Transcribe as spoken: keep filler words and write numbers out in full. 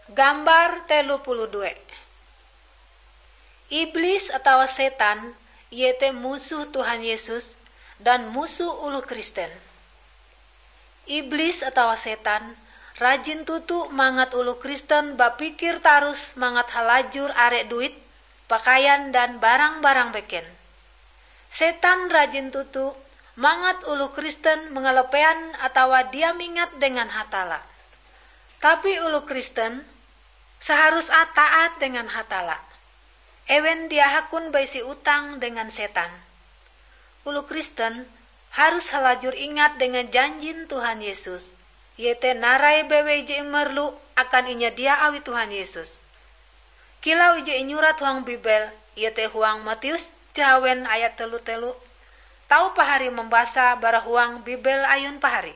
Gambar telu puluh dua. Iblis atawa setan, iete musoh Tuhan Yesus dan musoh oloh Kristen. Iblis atawa setan rajin toto mangat oloh Kristen bapikir tarus mangat halajur are duit, pakaian, dan barang-barang beken. Setan rajin toto mangat oloh Kristen mangalepaian atawa dia mingat dengan Hatalla. Tapi oloh Kristen saharus taat dengan Hatalla. Ewen dia hakun baisi utang dengan setan. Oloh Kristen harus halajur ingat dengan janjin Tuhan Yesus, iete narai bewei je imerlu akan inyadia awi Tuhan Yesus. Kilau ije inyurat huang Bibel, iete huang Matius jahawen ayat telu telu, tau pahari mambasa bara huang Bibel ayun pahari.